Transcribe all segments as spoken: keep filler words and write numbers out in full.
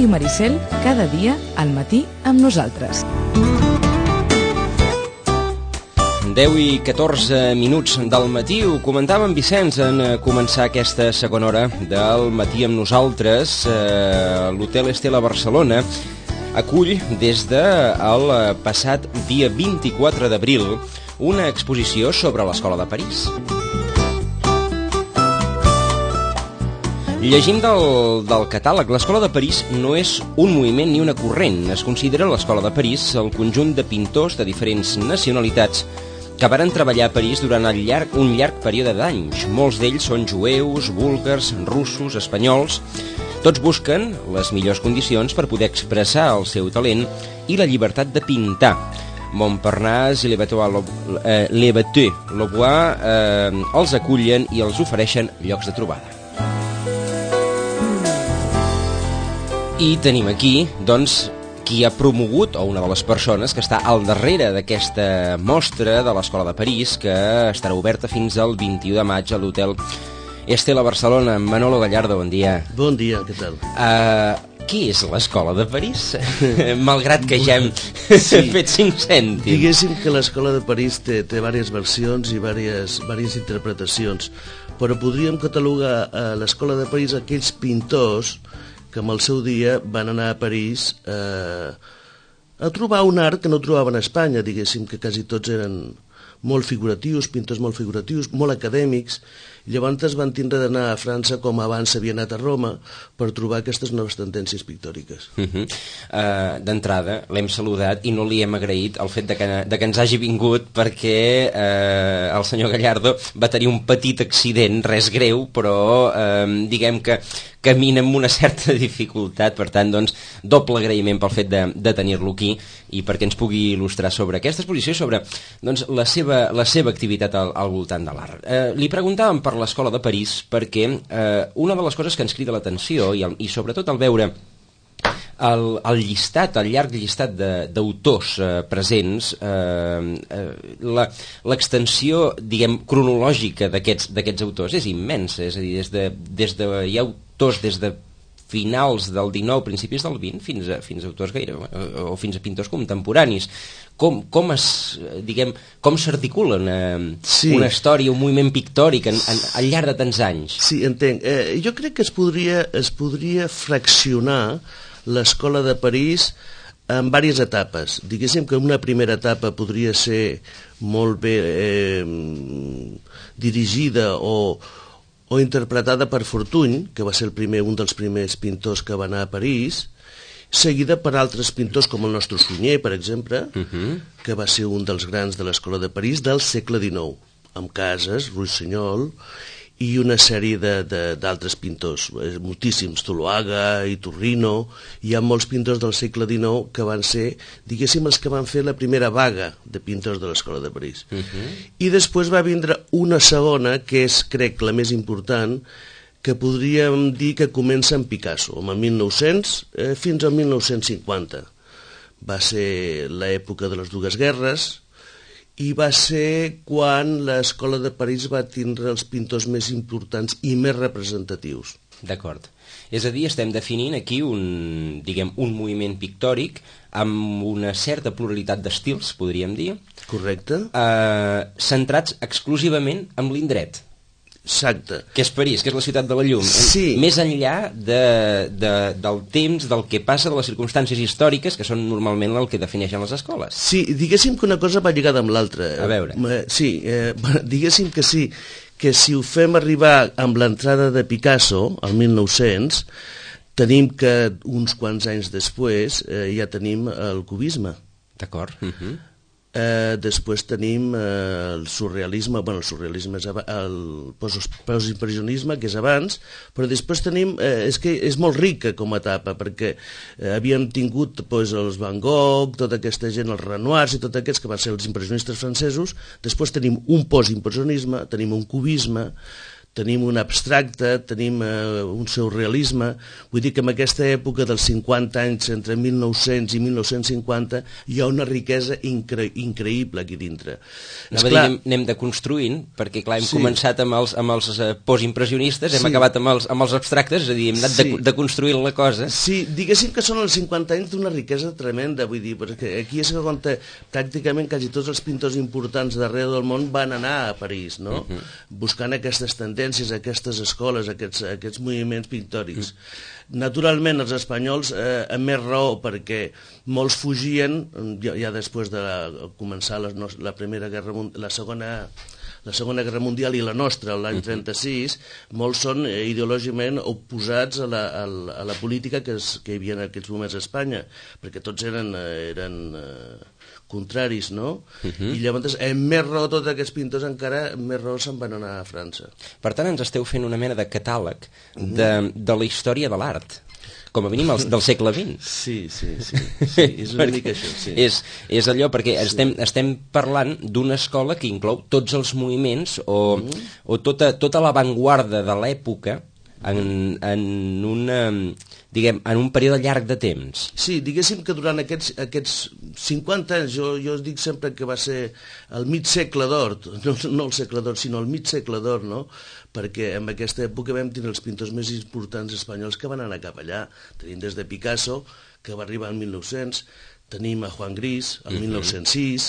Ràdio Maricel, cada dia al matí amb nosaltres. deu i catorze minuts del matí, ho comentava en Vicenç en començar aquesta segona hora del matí amb nosaltres. Eh, L'Hotel Estela Barcelona acull des del passat dia vint-i-quatre d'abril una exposició sobre l'Escola de París. Llegim del, del catàleg, l'Escola de París no és un moviment ni una corrent. Es considera l'Escola de París el conjunt de pintors de diferents nacionalitats que varen treballar a París durant el llarg, un llarg període d'anys. Molts d'ells són jueus, búlgars, russos, espanyols. Tots busquen les millors condicions per poder expressar el seu talent i la llibertat de pintar. Montparnasse i Le Bateux-Louvois eh, els acullen i els ofereixen llocs de trobada. I tenim aquí, doncs, qui ha promogut, o una de les persones que està al darrere d'aquesta mostra de l'Escola de París, que estarà oberta fins al vint-i-u de maig a l'Hotel Estela Barcelona. Manolo Gallardo, bon dia. Bon dia, què tal? Uh, què és l'Escola de París? Malgrat que ja hem sí. fet cinc cèntims. Diguéssim que l'Escola de París té, té diverses versions i diverses, diverses interpretacions, però podríem catalogar a l'Escola de París aquells pintors que en el seu dia van anar a París eh, a trobar un art que no trobaven a Espanya, diguéssim que quasi tots eren molt figuratius, pintors molt figuratius, molt acadèmics. Llavors van tindre d'anar a França com abans s'havia anat a Roma per trobar aquestes noves tendències pictòriques. Uh -huh. uh, D'entrada l'hem saludat i no li hem agraït el fet de que, de que ens hagi vingut, perquè uh, el senyor Gallardo va tenir un petit accident, res greu, però uh, diguem que camina amb una certa dificultat. Per tant, doncs, doble agraïment pel fet de, de tenir-lo aquí i perquè ens pugui il·lustrar sobre aquesta exposició i sobre, doncs, la seva, la seva activitat al, al voltant de l'art. Uh, li preguntàvem per l'Escola de París perquè eh, una de les coses que ens crida l'atenció i, el, i sobretot al veure el, el llistat, el llarg llistat d'autors eh, presents, eh, eh, l'extensió, diguem, cronològica d'aquests autors és immensa. És a dir, des de, des de, hi ha autors des de finals del dinou, principis del vint, fins a, fins a autors gaire, o, o fins a pintors contemporanis. Com, com es, diguem, com s'articula una, sí. una història, un moviment pictòric en, en, al llarg de tants anys? Sí, entenc. Eh, jo crec que es podria, es podria fraccionar l'Escola de París en diverses etapes. Diguéssim que una primera etapa podria ser molt bé eh, dirigida o o interpretada per Fortuny, que va ser el primer, un dels primers pintors que va anar a París, seguida per altres pintors com el nostre Sunyer, per exemple, uh-huh. que va ser un dels grans de l'Escola de París del segle dinou, amb Casas, Ruiz-Senyol i una sèrie d'altres pintors, moltíssims, Zuloaga i Turrino. Hi ha molts pintors del segle dinou que van ser, diguéssim, els que van fer la primera vaga de pintors de l'Escola de París. Uh-huh. I després va vindre una segona, que és, crec, la més important, que podríem dir que comença amb Picasso, amb el mil nou-cents eh, fins al mil nou-cents cinquanta. Va ser l'època de les dues guerres, i va ser quan l'Escola de París va tindre els pintors més importants i més representatius. D'acord. És a dir, estem definint aquí un, diguem, un moviment pictòric amb una certa pluralitat d'estils, podríem dir. Correcte. Eh, centrats exclusivament en l'indret. Exacte. Que és París, que és la ciutat de la llum. Sí. Més enllà de, de, del temps, del que passa, de les circumstàncies històriques, que són normalment el que defineixen les escoles. Sí, diguéssim que una cosa va lligada amb l'altra. A veure. Sí, eh, diguéssim que sí, que si ho fem arribar amb l'entrada de Picasso, al mil nou-cents, tenim que uns quants anys després eh, ja tenim el cubisme. D'acord. Uh-huh. Eh, després tenim eh, el surrealisme, bueno, el surrealisme és el postimpressionisme, que és abans, però després tenim, eh, és que és molt rica com a etapa, perquè eh, havíem tingut pues, els Van Gogh, tota aquesta gent, els Renoirs i tots aquests que van ser els impressionistes francesos. Després tenim un postimpressionisme, tenim un cubisme, tenim un abstracte, tenim eh, un surrealisme, vull dir que en aquesta època dels cinquanta anys, entre mil nou-cents i mil nou-cents cinquanta, hi ha una riquesa incre increïble aquí dintre. Anava a dir, anem, anem deconstruint, perquè clar, hem sí. començat amb els, amb els eh, postimpressionistes, hem sí. acabat amb els, amb els abstractes, és a dir, hem anat sí. de, deconstruint la cosa. Sí, diguéssim que són els cinquanta anys d'una riquesa tremenda, vull dir, perquè aquí és on pràcticament quasi tots els pintors importants d'arreu del món van anar a París, no? Uh -huh. Buscant aquestes tendències, aquestes escoles, aquests, aquests moviments pictòrics. Mm. Naturalment, els espanyols, eh, amb més raó, perquè molts fugien, ja, ja després de la, començar la, la Primera Guerra Mundial, la Segona... la Segona Guerra Mundial i la nostra, l'any trenta-sis, molts són eh, ideològicament oposats a la, a la, a la política que, es, que hi havia en aquests moments a Espanya, perquè tots eren, eren eh, contraris, no? Uh-huh. I llavors, amb més raó, tots aquests pintors encara més raó se'n van anar a França. Per tant, ens esteu fent una mena de catàleg uh-huh. de, de la història de l'art, com a mínim el, del segle vint. Sí, sí, sí, sí, és una mica això, sí. És, és allò, perquè sí. estem, estem parlant d'una escola que inclou tots els moviments o, mm. o tota, tota l'avantguarda de l'època en, en, una, diguem, en un període llarg de temps. Sí, diguéssim que durant aquests, aquests cinquanta anys, jo, jo dic sempre que va ser el mig segle d'or, no, no el segle d'or, sinó el mig segle d'or, no?, perquè en aquesta època vam tenir els pintors més importants espanyols que van anar cap allà. Tenim des de Picasso, que va arribar al mil nou-cents, tenim a Juan Gris, al mil nou-cents sis,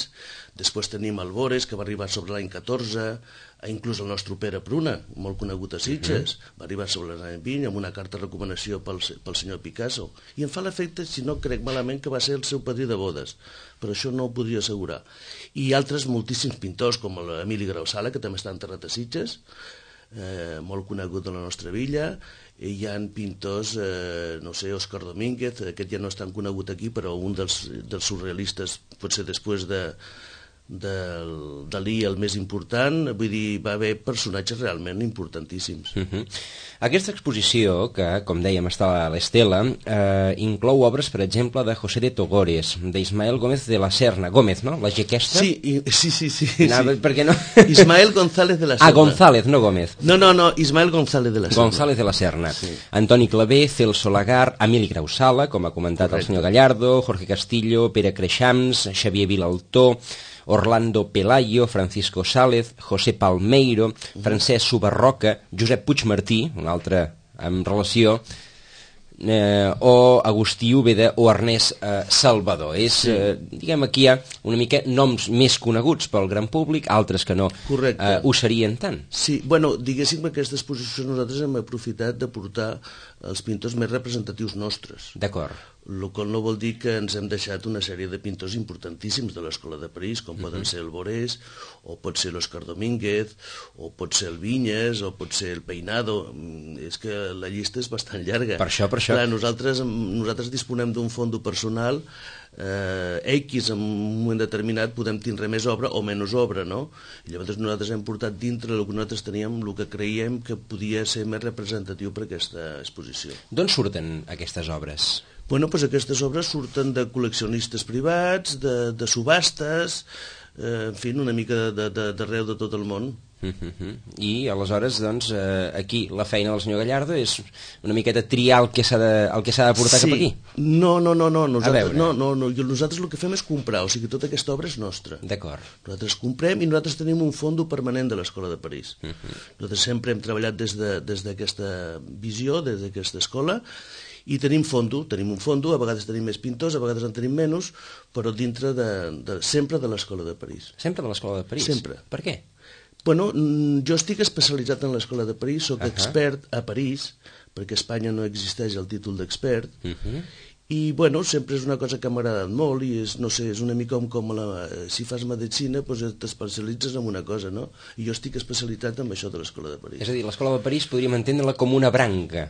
després tenim el Bores, que va arribar sobre l'any catorze, inclús el nostre Pere Pruna, molt conegut a Sitges, va arribar sobre l'any vint amb una carta de recomanació pel, pel senyor Picasso. I em fa l'efecte, si no crec malament, que va ser el seu padrí de bodes, però això no ho podria assegurar. I altres moltíssims pintors, com l'Emili Grausala, que també està enterrat a Sitges, Eh, molt conegut de la nostra villa. Hi ha pintors, eh, no sé, Òscar Domínguez, aquest ja no és tan conegut aquí, però un dels, dels surrealistes, potser després de del Dalí el més important, vull dir, va haver personatges realment importantíssims. Uh-huh. Aquesta exposició, que com dèiem està a l'Estela, eh, inclou obres, per exemple, de José de Togores, d'Ismael Gómez de la Serna. Gómez, no? La G aquesta? Sí, i, sí, sí, sí. No, sí. Per què no? Ismael González de la Serna. Ah, González, no Gómez. No, no, no, Ismael González de la Serna. González de la Serna. Sí. Antoni Clavé, Celso Lagar, Emili Grausala, com ha comentat Correcte. El senyor Gallardo, Jorge Castillo, Pere Creixams, Xavier Vilaltó, Orlando Pelayo, Francisco Sález, José Palmeiro, Francesc Subarroca, Josep Puigmartí, un altre en relació, eh, o Agustí Úbeda o Ernest eh, Salvador. És, sí. eh, diguem, aquí hi ha una mica noms més coneguts pel gran públic, altres que no eh, ho serien tant. Sí, bueno, diguéssim que aquesta exposició nosaltres hem aprofitat de portar els pintors més representatius nostres. D'acord. El qual no vol dir que ens hem deixat una sèrie de pintors importantíssims de l'Escola de París, com uh-huh. poden ser el Borés, o pot ser l'Òscar Domínguez, o pot ser el Vinyes, o pot ser el Peinado. És que la llista és bastant llarga. Per això, per això. Clar, nosaltres, nosaltres disponem d'un fondo personal eh, X, en un moment determinat podem tindre més obra o menys obra, no? I llavors nosaltres hem portat dintre el que nosaltres teníem, el que creiem que podia ser més representatiu per aquesta exposició. D'on surten aquestes obres? Bueno, doncs aquestes obres surten de col·leccionistes privats, de, de subhastes, eh, en fi, una mica d'arreu de, de tot el món. Uh-huh. I aleshores, doncs, eh, aquí la feina del senyor Gallardo és una miqueta triar el que s'ha de, el que s'ha de portar sí. cap aquí? No, no, no, no. Nosaltres, no, no, no. Nosaltres el que fem és comprar, o sigui, tota aquesta obra és nostra. D'acord. Nosaltres comprem i nosaltres tenim un fondo permanent de l'Escola de París. Uh-huh. Nosaltres sempre hem treballat des de, des d'aquesta visió, des d'aquesta escola, i tenim fondo, tenim un fondo, a vegades tenim més pintors, a vegades en tenim menys, però dintre de, de, sempre de l'Escola de París. Sempre de l'Escola de París? Sempre. Per què? Bueno, jo estic especialitzat en l'Escola de París, soc uh-huh. expert a París, perquè a Espanya no existeix el títol d'expert, uh-huh. i bueno, sempre és una cosa que m'ha agradat molt, i és, no sé, és una mica com, com la, si fas medicina, doncs t'especialitzes en una cosa, no? I jo estic especialitzat en això de l'Escola de París. És a dir, l'Escola de París podríem entendre-la com una branca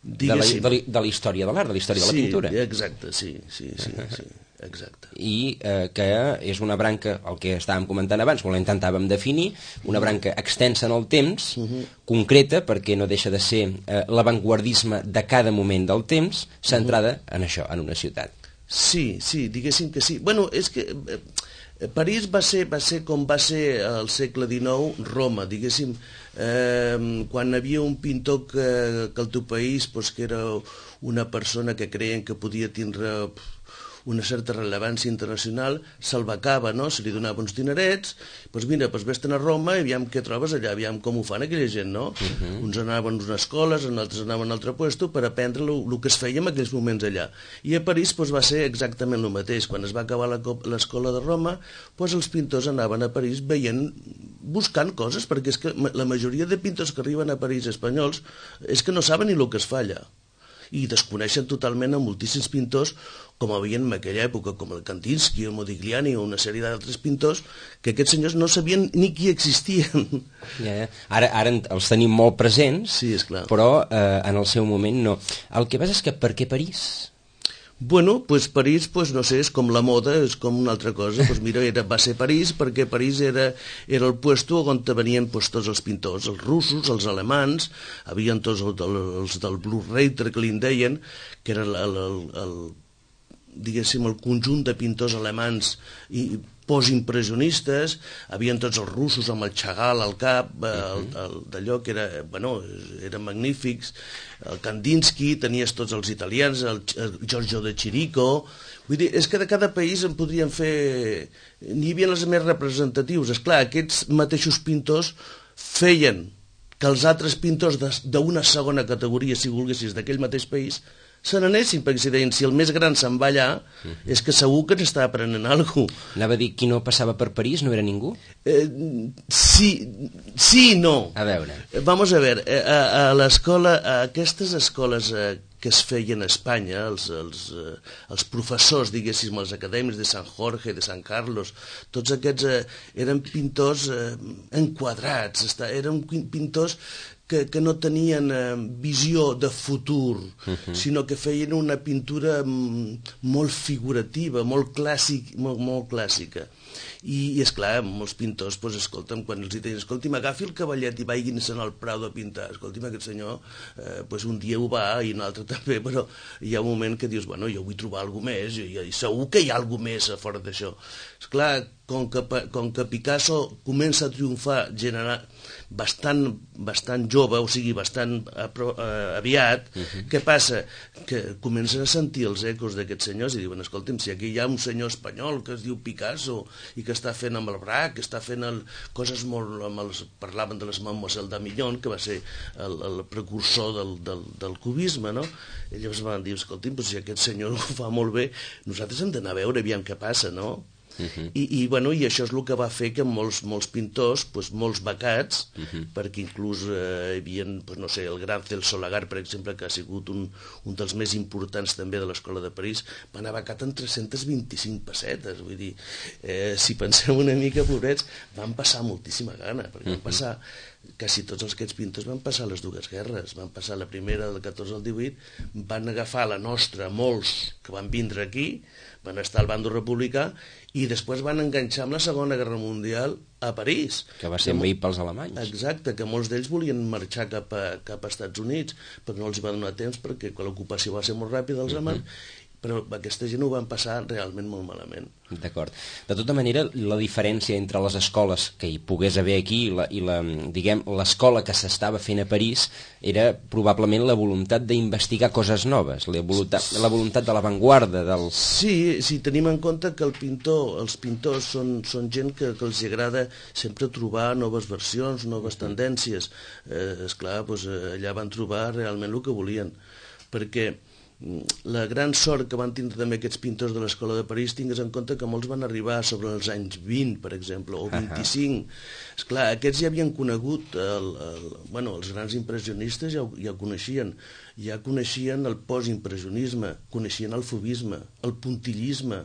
de la, de, la, de la història de l'art, de la història sí, de la pintura. Sí, exacte, sí, sí, sí, sí. Exacte. I eh, que és una branca, el que estàvem comentant abans, quan la intentàvem definir, una branca extensa en el temps, uh-huh. concreta, perquè no deixa de ser eh, l'avantguardisme de cada moment del temps, centrada uh-huh. en això, en una ciutat. Sí, sí, diguéssim que sí. Bueno, és que... Eh, París va ser, va ser com va ser al segle dinou Roma, diguéssim, eh, quan hi havia un pintor que, que al teu país, pues, que era una persona que creien que podia tindre una certa rellevància internacional, se'l becava, no? Se li donava uns dinerets, doncs mira, doncs vés-te'n a Roma i aviam què trobes allà, aviam com ho fan aquella gent, no? Uh-huh. Uns anaven a unes escoles, uns altres anaven a un altre lloc per aprendre el que es feia en aquells moments allà. I a París doncs, va ser exactament el mateix. Quan es va acabar l'escola de Roma, doncs els pintors anaven a París veient, buscant coses, perquè és que la majoria de pintors que arriben a París espanyols és que no saben ni el que es fa allà. I desconeixen totalment a moltíssims pintors, com havia en aquella època, com el Kandinsky, el Modigliani o una sèrie d'altres pintors, que aquests senyors no sabien ni qui existien. Ja, ja. Ara, ara els tenim molt presents, sí, esclar. Però eh, en el seu moment no. El que passa és que per què París? Bueno, pues París, pues no sé, és com la moda, és com una altra cosa. Pues mira, era, va ser París perquè París era, era el puesto on venien pues, tots els pintors, els russos, els alemans, havien tots els, els del Blue Reiter, que li deien, que era el, el, el, el, diguéssim, el conjunt de pintors alemans i postimpressionistes, havien tots els russos amb el Chagall al cap, el, el, d'allò que era, bueno, eren magnífics, el Kandinsky, tenies tots els italians, el, el Giorgio de Chirico, vull dir, és que de cada país en podrien fer, n'hi havia els més representatius, esclar, aquests mateixos pintors feien que els altres pintors d'una segona categoria, si volguessis, d'aquell mateix país, se n'anessin, perquè si deien, si el més gran se'n va allà, uh-huh. és que segur que n'està aprenent alguna cosa. Anava a dir, qui no passava per París no era ningú? Eh, sí, sí i no. A veure. Vamos a ver, a, a l'escola, a aquestes escoles eh, que es feien a Espanya, els, els, eh, els professors, diguéssim, els acadèmics de Sant Jorge, de Sant Carlos, tots aquests eh, eren pintors eh, enquadrats, està, eren pintors que, que no tenien eh, visió de futur, uh-huh. sinó que feien una pintura molt figurativa, molt, clàssic, molt, molt clàssica. I, i esclar, molts pintors, doncs, escolta'm, quan els deien, escolti'm, agafi el cavallet i vagin-se'n al Prado a pintar. Escolti'm, aquest senyor, eh, doncs un dia ho va i un altre també, però hi ha un moment que dius, bueno, jo vull trobar alguna més, i, i segur que hi ha alguna més a fora d'això. Esclar, com que, com que Picasso comença a triomfar generar bastant, bastant jove, o sigui, bastant apro, eh, aviat, uh-huh. què passa? Que comencen a sentir els ecos d'aquests senyors i diuen, escolta'm, si aquí hi ha un senyor espanyol que es diu Picasso i que està fent amb el Braque, que està fent el, coses molt... Amb els, parlaven de les Mademoiselle d'Amillon, que va ser el, el precursor del, del, del cubisme, no? I llavors van dir, escolta'm, si aquest senyor ho fa molt bé, nosaltres hem d'anar a veure, aviam què passa, no? Uh-huh. I, i, bueno, i això és el que va fer que molts, molts pintors, pues, molts becats, uh-huh. perquè inclús eh, hi havia, pues, no sé, el gran Celso Lagar, per exemple, que ha sigut un, un dels més importants també de l'Escola de París, va anar becat amb tres-centes vint-i-cinc pessetes, vull dir, eh, si pensem una mica, pobrets, van passar moltíssima gana, perquè uh-huh. van passar, quasi tots els aquests pintors van passar les dues guerres, van passar la primera del catorze al divuit, van agafar la nostra, molts que van vindre aquí, van estar al bando republicà, i després van enganxar amb la Segona Guerra Mundial a París. Que va ser envaït pels alemanys. Exacte, que molts d'ells volien marxar cap a, cap a Estats Units, però no els va donar temps perquè l'ocupació va ser molt ràpida dels alemanys, uh-huh. però aquesta gent ho van passar realment molt malament. D'acord. De tota manera, la diferència entre les escoles que hi pogués haver aquí i, la, i la, diguem, l'escola que s'estava fent a París era probablement la voluntat d'investigar coses noves, la voluntat, la voluntat de l'avantguarda. Del... Sí, si tenim en compte que el pintor, els pintors són, són gent que, que els agrada sempre trobar noves versions, noves tendències. Eh, esclar, doncs, allà van trobar realment el que volien, perquè la gran sort que van tindre també aquests pintors de l'Escola de París, tingues en compte que molts van arribar sobre els anys vint, per exemple, o vint-i-cinc. Uh-huh. Esclar, aquests ja havien conegut, el, el, bueno, els grans impressionistes ja ho, ja ho coneixien, ja coneixien el postimpressionisme, coneixien el fauvisme, el puntillisme,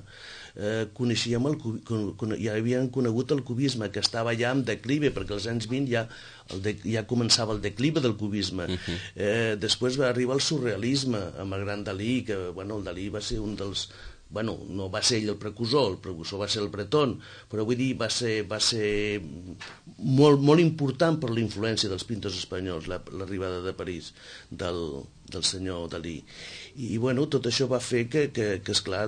eh, coneixíem el, con, ja havien conegut el cubisme, que estava ja en declive, perquè als anys vint ja, el de, ja començava el declive del cubisme. Uh-huh. eh, després va arribar el surrealisme, amb el gran Dalí, que bueno, el Dalí va ser un dels... Bueno, no va ser ell el precursor, el precursor va ser el Breton, però vull dir, va ser, va ser molt, molt important per la influència dels pintors espanyols, la, l'arribada de París del, del senyor Dalí. I, i bueno, tot això va fer que, que, que esclar,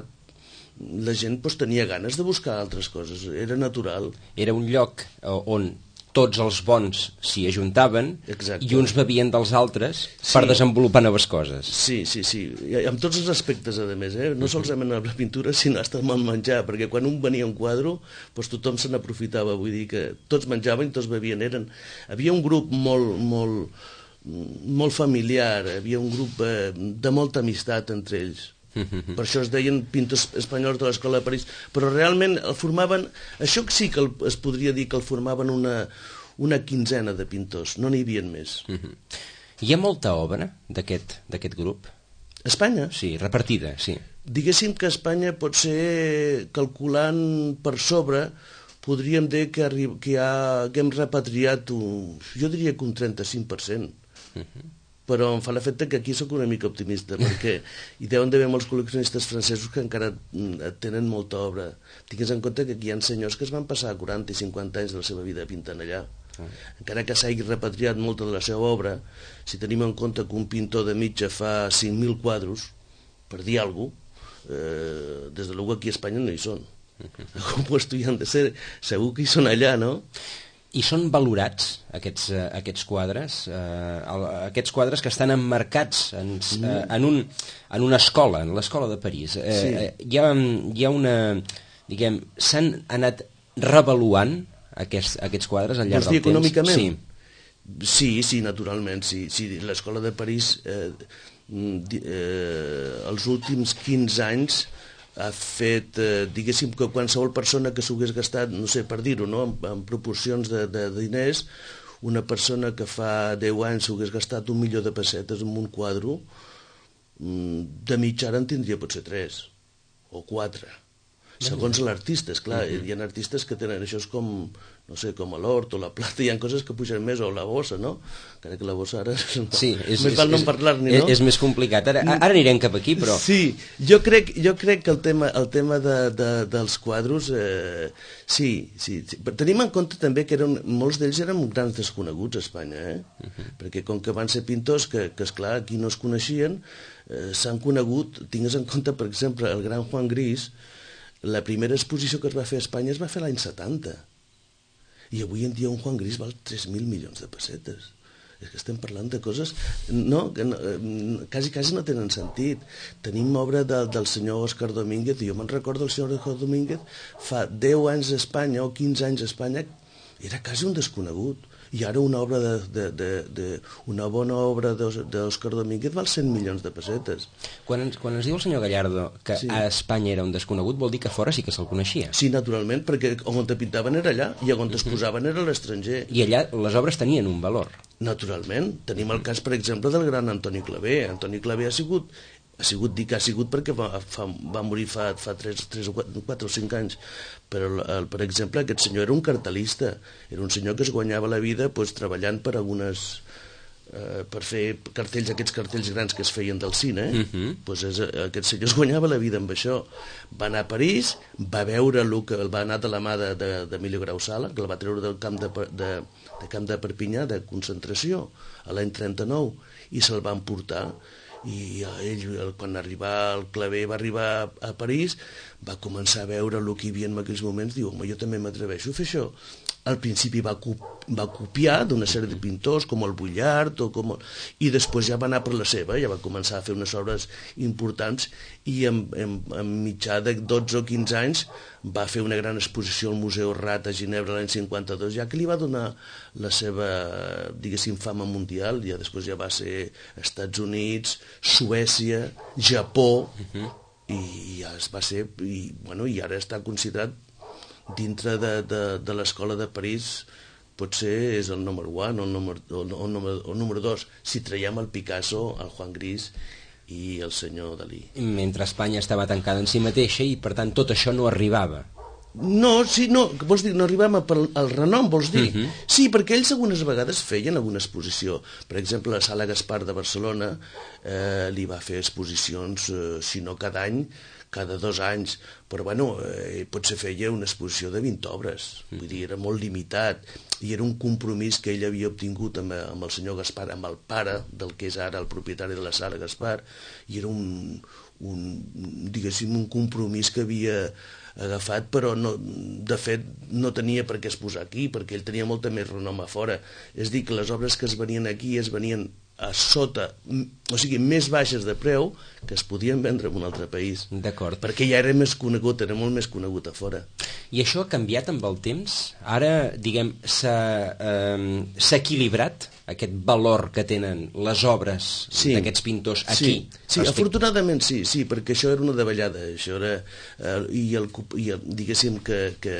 la gent doncs, tenia ganes de buscar altres coses, era natural. Era un lloc on tots els bons s'hi ajuntaven. Exacte. I uns bevien dels altres sí. per desenvolupar noves coses. Sí, sí, sí, I amb tots els aspectes, a més, eh? no solament amb la pintura, sinó hasta amb el menjar, perquè quan un venia un quadre, doncs tothom se n'aprofitava, vull dir que tots menjaven i tots bevien. Eren... Havia un grup molt, molt, molt familiar, havia un grup eh, de molta amistat entre ells. Per això es deien pintors espanyols de l'Escola de París, però realment el formaven, això sí que el, es podria dir que el formaven una, una quinzena de pintors, no n'hi havia més. Hi ha molta obra d'aquest d'aquest grup? Espanya? Sí, repartida, sí. Diguéssim que Espanya pot ser, calculant per sobre, podríem dir que, arri... que, ha... que hem repatriat, un... jo diria que un trenta-cinc per cent. Uh-huh. Però em fa l'efecte que aquí sóc una mica optimista, perquè hi deuen d'haver molts col·leccionistes francesos que encara tenen molta obra. Tingues en compte que aquí hi ha senyors que es van passar quaranta i cinquanta anys de la seva vida pintant allà. Encara que s'hagi repatriat molta de la seva obra, si tenim en compte que un pintor de mitja fa cinc mil quadros, per dir alguna cosa, eh, des de l'uga aquí a Espanya no hi són. Com puesto hi han de ser, segur que hi són allà, no? I són valorats, aquests, uh, aquests quadres, uh, el, aquests quadres que estan emmarcats en, uh, en, un, en una escola, en l'escola de París. Uh, sí. uh, hi, ha, hi ha una... diguem, s'han anat revaluant aquests, aquests quadres al llarg del temps? Econòmicament? Sí. sí, sí, naturalment, sí. sí. L'escola de París, eh, eh, els últims quinze anys, ha fet, eh, diguéssim que qualsevol persona que s'ho hagués gastat, no sé, per dir-ho, no? en, en proporcions de, de diners, una persona que fa deu anys s'ho hagués gastat un milió de pessetes en un quadre, de mitja ara en tindria potser tres o quatre, segons l'artista, esclar. Uh-huh. Hi ha artistes que tenen, això és com, no sé, com l'hort o la plata, hi ha coses que pugen més, o la bossa, no? Encara que la bossa ara... Sí, és, més val no parlar-ne, no? És més complicat. Ara, ara anirem cap aquí, però... Sí, jo crec, jo crec que el tema, el tema de, de, dels quadros, eh, sí, sí, sí. Tenim en compte també que eren, molts d'ells eren grans desconeguts a Espanya, eh? Uh-huh. Perquè com que van ser pintors que, que esclar, aquí no es coneixien, eh, s'han conegut, tingues en compte, per exemple, el gran Juan Gris. La primera exposició que es va fer a Espanya es va fer l'any setanta. I avui en dia un Juan Gris val tres mil milions de pessetes. És que estem parlant de coses no, que no, quasi, quasi no tenen sentit. Tenim obra de, del senyor Òscar Domínguez, i jo me'n recordo del senyor Òscar Domínguez, fa deu anys a Espanya o quinze anys a Espanya, era quasi un desconegut. I ara una obra de, de, de, de una bona obra d'Òscar Domínguez val cent milions de pessetes. Quan ens, quan ens diu el senyor Gallardo que sí. a Espanya era un desconegut, vol dir que fora sí que se'l coneixia. Sí, naturalment, perquè on te pintaven era allà i on es posaven era l'estranger. I allà les obres tenien un valor. Naturalment. Tenim el cas, per exemple, del gran Antoni Clavé. Antoni Clavé ha sigut... ha sigut, dic, ha sigut perquè va, fa, va morir fa, fa tres, tres o quatre o cinc anys, però el, per exemple aquest senyor era un cartelista, era un senyor que es guanyava la vida pues, treballant per algunes eh, per fer cartells, aquests cartells grans que es feien del cine, eh? uh-huh. pues és, aquest senyor es guanyava la vida amb això. Va anar a París, va veure el que va anar de la mà d'Emilio Grau Sala, que el va treure del camp de, de, de camp de Perpinyà de concentració a l'any trenta-nou, i se'l va emportar. I ell, quan arribà el Clavé va arribar a París, va començar a veure el que hi havia en aquells moments, diu, home, jo també m'atreveixo a fer això. Al principi va, va copiar d'una sèrie de pintors com el Vuillard o com el... i després ja va anar per la seva, ja va començar a fer unes obres importants, i en, en, en mitjà de dotze o quinze anys va fer una gran exposició al Museu Rat a Ginebra l'any cinquanta-dos, ja que li va donar la seva, diguéssim, fama mundial. Ja després ja va ser Estats Units, Suècia, Japó, uh-huh. i ja es va ser, i, bueno, i ara està considerat dintre de, de, de l'escola de París, potser és el número un o el número, o, o, número, o número dos, si traiem el Picasso, el Juan Gris i el senyor Dalí. Mentre Espanya estava tancada en si mateixa i per tant tot això no arribava. No, sí, no, vols dir, no arribem al renom, vols dir? Uh-huh. Sí, perquè ells algunes vegades feien alguna exposició. Per exemple, la Sala Gaspar de Barcelona eh, li va fer exposicions, eh, si no cada any, cada dos anys, però bueno, eh, potser feia una exposició de vint obres, vull dir, era molt limitat, i era un compromís que ell havia obtingut amb, amb el senyor Gaspar, amb el pare del que és ara el propietari de la Sala Gaspar, i era un, un, diguéssim, un compromís que havia agafat, però no, de fet no tenia per què es posar aquí, perquè ell tenia molta més renom a fora. És a dir, que les obres que es venien aquí es venien a sota, o sigui, més baixes de preu que es podien vendre en un altre país. D'acord. Perquè ja era més conegut, era molt més conegut a fora. I això ha canviat amb el temps? Ara, diguem, s'ha eh, s'ha equilibrat aquest valor que tenen les obres sí. d'aquests pintors aquí? Sí, sí respect... afortunadament sí, sí, perquè això era una davallada, això era, eh, i, el, i el, diguéssim que, que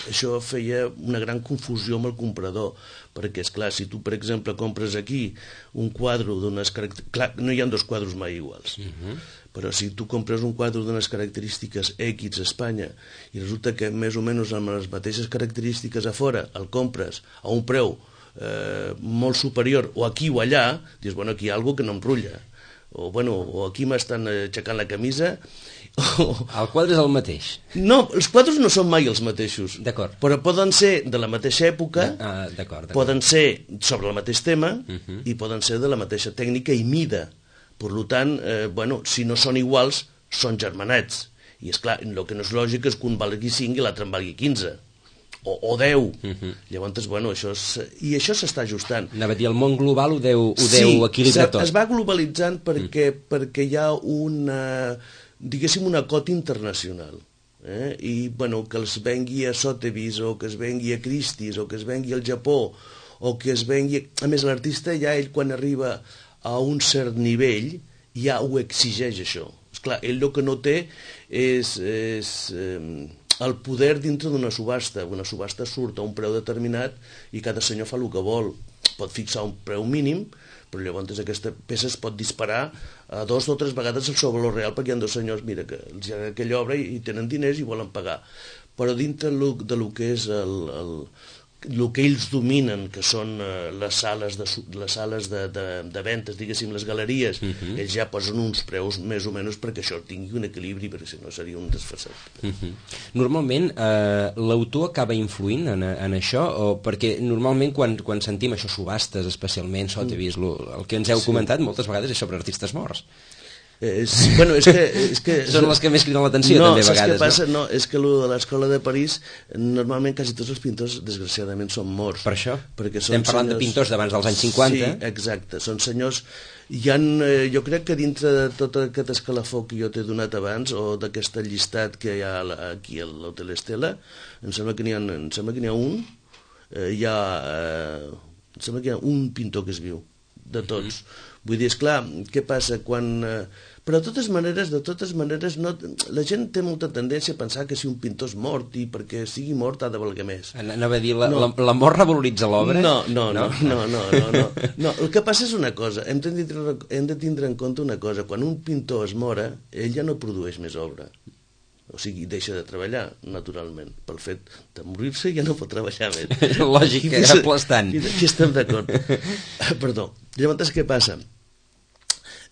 això feia una gran confusió amb el comprador, perquè, és clar, si tu, per exemple, compres aquí un quadre d'unes característiques... Clar, no hi ha dos quadres mai iguals, uh-huh. però si tu compres un quadre d'unes característiques X a Espanya i resulta que més o menys amb les mateixes característiques a fora el compres a un preu eh, molt superior, o aquí o allà, dius, bueno, aquí hi ha alguna que no em rutlla, o, bueno, o aquí m'estan aixecant la camisa... O... El quadre és el mateix? No, els quadres no són mai els mateixos. D'acord. Però poden ser de la mateixa època, ah, d'acord, d'acord. Poden ser sobre el mateix tema uh-huh. i poden ser de la mateixa tècnica i mida. Per tant, eh, bueno, si no són iguals, són germanats. I és clar, el que no és lògic és que un valgui cinc i l'altre en valgui quinze. O, o deu. Uh-huh. Llavors, bueno, això és... I això s'està ajustant. Anava a dir, el món global ho deu, ho deu sí, equilibrar tot. Sí, es va globalitzant perquè, mm. perquè hi ha una, diguéssim, una cota internacional. Eh? I, bueno, que els vengui a Sotheby's, o que es vengui a Christie's, o que es vengui al Japó, o que es vengui... A més, l'artista ja, ell, quan arriba a un cert nivell, ja ho exigeix, això. Esclar, ell el que no té és... és eh, el poder dintre d'una subhasta. Una subhasta surt a un preu determinat i cada senyor fa el que vol. Pot fixar un preu mínim, però llavors aquesta peça es pot disparar a dos o tres vegades el seu valor real, perquè hi ha dos senyors, mira, que els hi ha aquella obra i tenen diners i volen pagar. Però dintre de lo que és el, el, el que ells dominen, que són les sales de, les sales de, de, de ventes, diguéssim, les galeries, uh-huh. ells ja posen uns preus més o menys perquè això tingui un equilibri, perquè si no seria un desfasat. Uh-huh. Normalment eh, l'autor acaba influint en, en això, o perquè normalment quan, quan sentim això, subhastes especialment, Sotheby's, mm. el que ens heu sí. comentat moltes vegades és sobre artistes morts. Eh, és, bueno, és que, és que, són les que més criden l'atenció no, també a vegades. Què passa? No? No, és que lo de l'escola de París, normalment quasi tots els pintors, desgraciadament, són morts. Per això? Perquè són estem parlant senyors... de pintors d'abans dels anys cinquanta. Sí, exacte, són senyors... Hi ha, eh, jo crec que dintre de tot aquest escalafó que jo t'he donat abans, o d'aquest llistat que hi ha aquí a l'Hotel Estela, em sembla que n'hi ha, em sembla que n'hi ha un, eh, hi ha, eh, em sembla que hi ha un pintor que és viu, de tots. Mm-hmm. Vull dir, esclar, què passa quan... Eh, però de totes maneres, de totes maneres, no, la gent té molta tendència a pensar que si un pintor és mort i perquè sigui mort ha de valer més. Anava a dir, la, no. la, la mort revaloritza l'obra? No, no, no, no, no, no, no, no. El que passa és una cosa, hem de, tindre, hem de tindre en compte una cosa, quan un pintor es mora, ell ja no produeix més obra. O sigui, deixa de treballar, naturalment. Pel fet de morir-se ja no pot treballar més. Lògic, és aplastant. Aquí estem d'acord. Perdó. Llavors, què passa?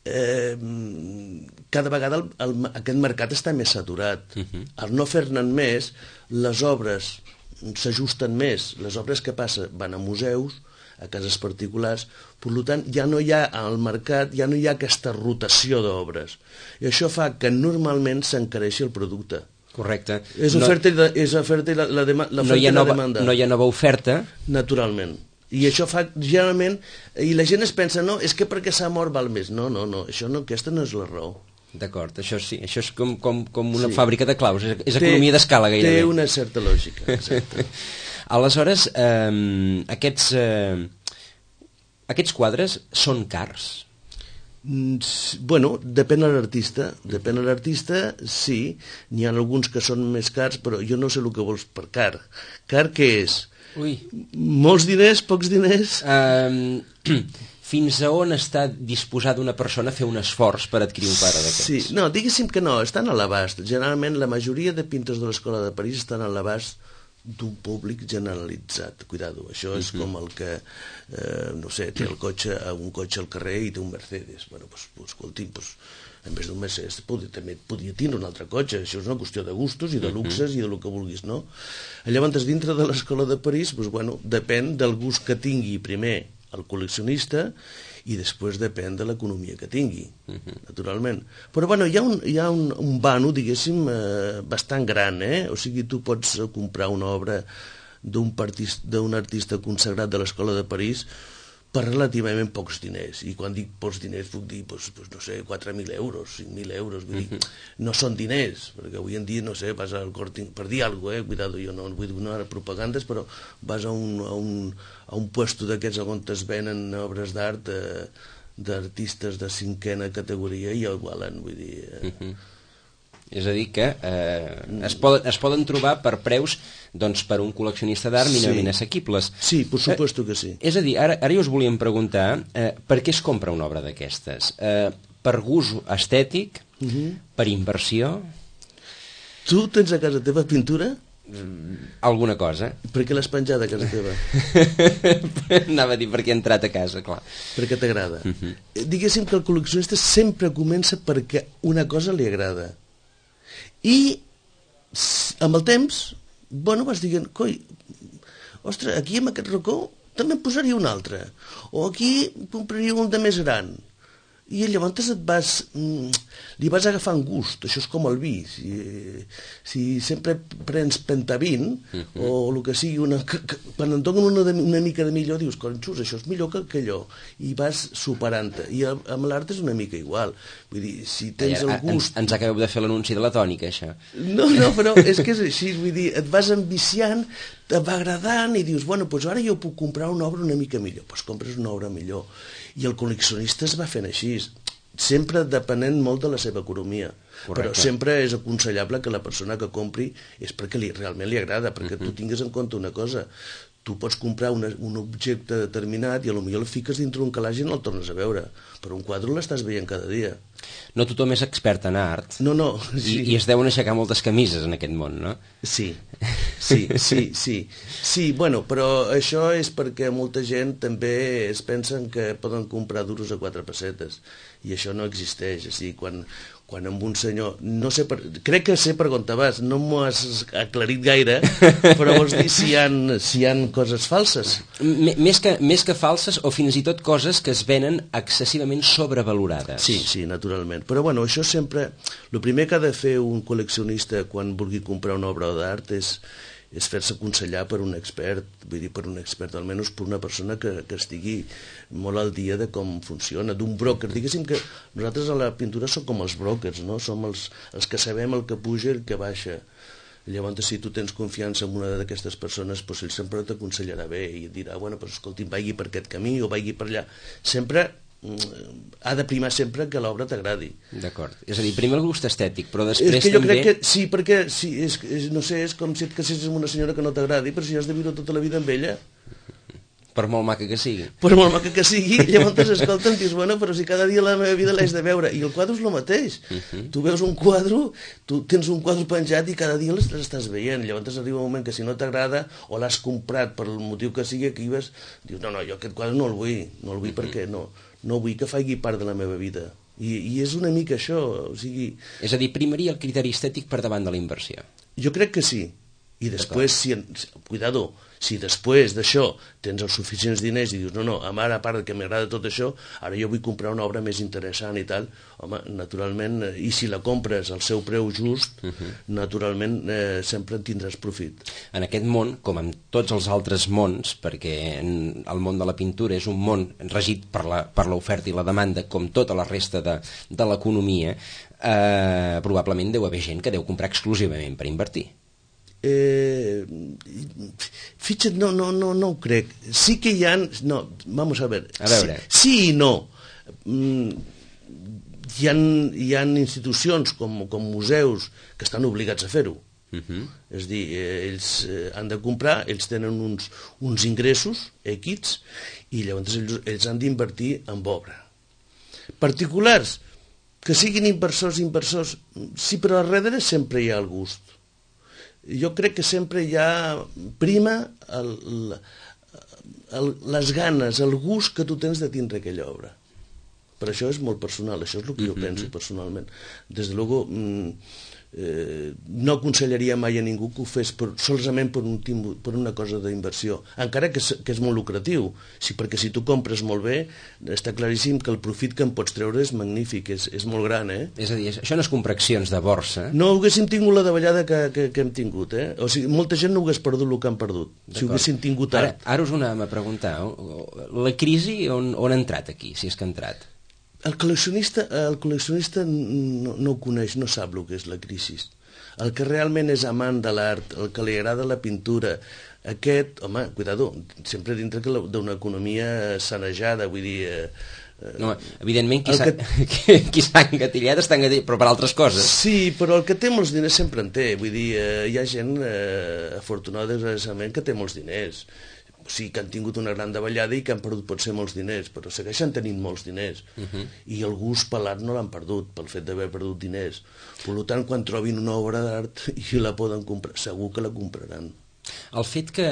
Eh, cada vegada el, el, aquest mercat està més saturat. Uh-huh. Al no fer-ne més, les obres s'ajusten més. Les obres que passa van a museus, a cases particulars, per tant ja no hi ha al mercat, ja no hi ha aquesta rotació d'obres. I això fa que normalment s'encareixi el producte. Correcte. És oferta, no, i, és oferta i la, la, dema, la, no hi ha nova, la demanda. No hi ha nova oferta. Naturalment. I això fa, generalment, i la gent es pensa, no, és que perquè s'ha mort val més. No, no, no, això no, aquesta no és la raó. D'acord, això sí, això és com, com, com una sí. fàbrica de claus, és, és té, economia d'escala gairebé. Té una certa lògica, exacte. Aleshores, eh, aquests, eh, aquests quadres són cars? Bueno, depèn de l'artista, depèn de l'artista, sí, n'hi ha alguns que són més cars, però jo no sé el que vols per car. Car què és? Ui. Molts diners, pocs diners? Um, fins a on està disposada una persona a fer un esforç per adquirir un quadre d'aquests? Sí, no, diguéssim que no, estan a l'abast. Generalment la majoria de pintors de l'Escola de París estan a l'abast d'un públic generalitzat. Cuidado, això és uh-huh. com el que, eh, no sé, té el cotxe, un cotxe al carrer i té un Mercedes. Bueno, doncs, pues, escolti, doncs, en vez d'un Mercedes podia, també podia tindre un altre cotxe. Això és una qüestió de gustos i de luxes uh-huh. i de lo que vulguis, no? Llavors, dintre de l'Escola de París, doncs, bueno, depèn del gust que tingui primer al col·leccionista i després depèn de l'economia que tingui, uh-huh. naturalment. Però bueno, hi ha un, hi ha un, un vano, diguéssim, eh, bastant gran, eh? O sigui, tu pots comprar una obra d'un artista, d'un artista consagrat de l'Escola de París per relativament pocs diners, i quan dic pocs diners puc dir, pues, pues, no sé, quatre mil euros, cinc mil euros, vull dir, no són diners, perquè avui en dia, no sé, vas al Corte, per dir alguna cosa, eh, cuidado, jo no vull donar propagandes, però vas a un, a un, a un puesto d'aquests on es venen obres d'art eh, d'artistes de cinquena categoria i el valen, vull dir... Eh, uh -huh. És a dir que eh, es, poden, es poden trobar per preus, doncs, per un col·leccionista d'art mínimament sí. assequibles. Sí, per supuesto que sí. Eh, és a dir, ara, ara jo us volíem preguntar eh, per què es compra una obra d'aquestes? Eh, per gust estètic? Uh -huh. Per inversió? Tu tens a casa teva pintura? Mm, alguna cosa. Per què l'has penjada a casa teva? Anava a dir perquè he entrat a casa, clar. Perquè t'agrada. Uh -huh. Diguéssim que el col·leccionista sempre comença perquè una cosa li agrada. I amb el temps, bueno, vas dient, coi, ostres, aquí en aquest racó també en posaria un altre, o aquí compraria un de més gran, i llavors et vas, li vas agafant gust. Això és com el vi, si, si sempre prens pentavint, uh -huh. o el que sigui, una, que, que, quan en donen una, una mica de millor dius, conxus, això és millor que, que allò, i vas superant-te, i amb l'art és una mica igual, vull dir, si tens el gust... Ens, ens acabeu de fer l'anunci de la tònica, això. No, no, però és que és així, vull dir, et vas enviciant, et va agradant, i dius, bueno, doncs ara jo puc comprar una obra una mica millor, doncs compres una obra millor. I el col·leccionista es va fent així, sempre depenent molt de la seva economia. Correcte. Però sempre és aconsellable que la persona que compri és perquè li, realment li agrada, perquè uh-huh. tu tingues en compte una cosa, tu pots comprar una, un objecte determinat i potser el fiques dintre un calaix i no el tornes a veure, però un quadre l'estàs veient cada dia. No tothom és expert en art. No, no. Sí. I, I es deuen aixecar moltes camises en aquest món, no? Sí, sí, sí, sí. Sí, bueno, però això és perquè molta gent també es pensen que poden comprar duros a quatre pessetes, i això no existeix. O sigui, quan, quan amb un senyor... No sé per, crec que sé per on te vas, no m'ho has aclarit gaire, però vols dir si hi ha, si hi ha coses falses? M més, que, més que falses, o fins i tot coses que es venen excessivament sobrevalorades. Sí, sí, naturalment. Però bueno, això sempre... El primer que ha de fer un col·leccionista quan vulgui comprar una obra d'art és, és fer-se aconsellar per un expert, vull dir, per un expert, almenys per una persona que, que estigui molt al dia de com funciona, d'un broker. Diguéssim que nosaltres a la pintura som com els brokers, no? Som els, els que sabem el que puja i el que baixa. Llavors, si tu tens confiança en una d'aquestes persones, doncs ell sempre t'aconsellarà bé i et dirà, bueno, doncs escolti, vagi per aquest camí o vagi per allà. Sempre ha de primar sempre que l'obra t'agradi. D'acord. És a dir, primer el gust estètic, però després és que jo també... crec que sí, perquè sí, és, és, no sé, és com si et casessis amb una senyora que no t'agradi, però si has de viure tota la vida amb ella. Per molt maca que sigui. Per molt maca que sigui, llavors escolten, dius, bueno, però si cada dia la meva vida l'haig de veure. I el quadre és el mateix. Uh -huh. Tu veus un quadre, tu tens un quadre penjat i cada dia l'estàs veient. Llavors arriba un moment que si no t'agrada o l'has comprat per el motiu que sigui, aquí vas, dius, no, no, jo aquest quadre no el vull, no el vull uh -huh. perquè no, no vull que faci part de la meva vida. I, I és una mica això, o sigui... És a dir, primaria el criteri estètic per davant de la inversió. Jo crec que sí. I després, si, cuidado, si després d'això tens els suficients diners i dius, no, no, ara, a part que m'agrada tot això, ara jo vull comprar una obra més interessant i tal, home, naturalment, i si la compres al seu preu just, uh -huh. naturalment eh, sempre en tindràs profit. En aquest món, com en tots els altres mons, perquè el món de la pintura és un món regit per la, per l'oferta i la demanda, com tota la resta de, de l'economia, eh, probablement deu haver gent que deu comprar exclusivament per invertir. Eh, fixa't, no, no, no, no ho crec. Sí que hi ha... No, vamos a ver. A veure. Sí, sí i no. Mm, hi ha, hi ha institucions com, com museus que estan obligats a fer-ho. Uh -huh. És a dir, eh, ells eh, han de comprar, ells tenen uns, uns ingressos equits i llavors ells, ells han d'invertir en obra. Particulars, que siguin inversors, inversors, sí, però darrere sempre hi ha el gust. Jo crec que sempre hi ha prima el, el, les ganes, el gust que tu tens de tindre aquella obra. Per això és molt personal, això és el que jo penso personalment. Des de luego, eh, no aconsellaria mai a ningú que ho fes per, solament per, un, per una cosa d'inversió, encara que és, que és molt lucratiu, sí, perquè si tu compres molt bé, està claríssim que el profit que en pots treure és magnífic, és, és molt gran, eh? És a dir, això no és comprar accions de borsa. No haguéssim tingut la davallada que, que, que hem tingut, eh? O sigui, molta gent no hagués perdut el que han perdut, si ho haguéssim tingut ara. art. Ara us anàvem a preguntar, la crisi on, on ha entrat aquí, si és que ha entrat? El col·leccionista, el col·leccionista no, no ho coneix, no sap el que és la crisi. El que realment és amant de l'art, el que li agrada la pintura, aquest, home, cuidado, sempre dintre d'una economia sanejada, vull dir... Eh, no, evidentment, qui s'ha que... engatillat està engatillat, però per altres coses. Sí, però el que té molts diners sempre en té, vull dir, eh, hi ha gent eh, afortunada, desgraciadament, que té molts diners. O sigui, que han tingut una gran davallada i que han perdut potser molts diners, però segueixen tenint molts diners. Uh -huh. I el gust per l'art no l'han perdut, pel fet d'haver perdut diners. Per tant, quan trobin una obra d'art i la poden comprar, segur que la compraran. El fet que,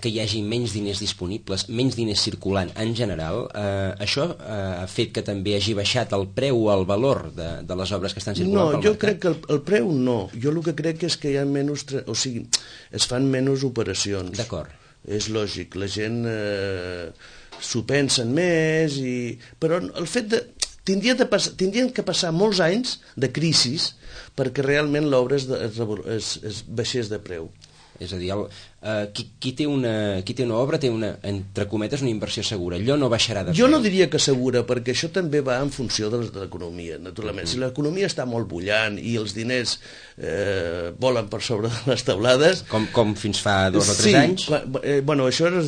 que hi hagi menys diners disponibles, menys diners circulant en general, eh, això eh, ha fet que també hagi baixat el preu o el valor de, de les obres que estan circulant no, pel mercat? No, jo crec que el, el preu no. Jo el que crec és que hi ha menys... O sigui, es fan menys operacions. D'acord. És lògic, la gent eh, s'ho pensen més, i... però el fet de... Tindrien, de pas... Tindrien que passar molts anys de crisis perquè realment l'obra es, es, es, es baixés de preu. És a dir, el, uh, qui, qui, té una, qui té una obra té una, entre cometes, una inversió segura. Allò no baixarà de preu. Jo no diria que segura, perquè això també va en funció de l'economia, naturalment. Uh-huh. Si l'economia està molt bullant i els diners eh, volen per sobre de les taulades... Com, com fins fa dos o tres sí, anys? Quan, eh, bueno, això era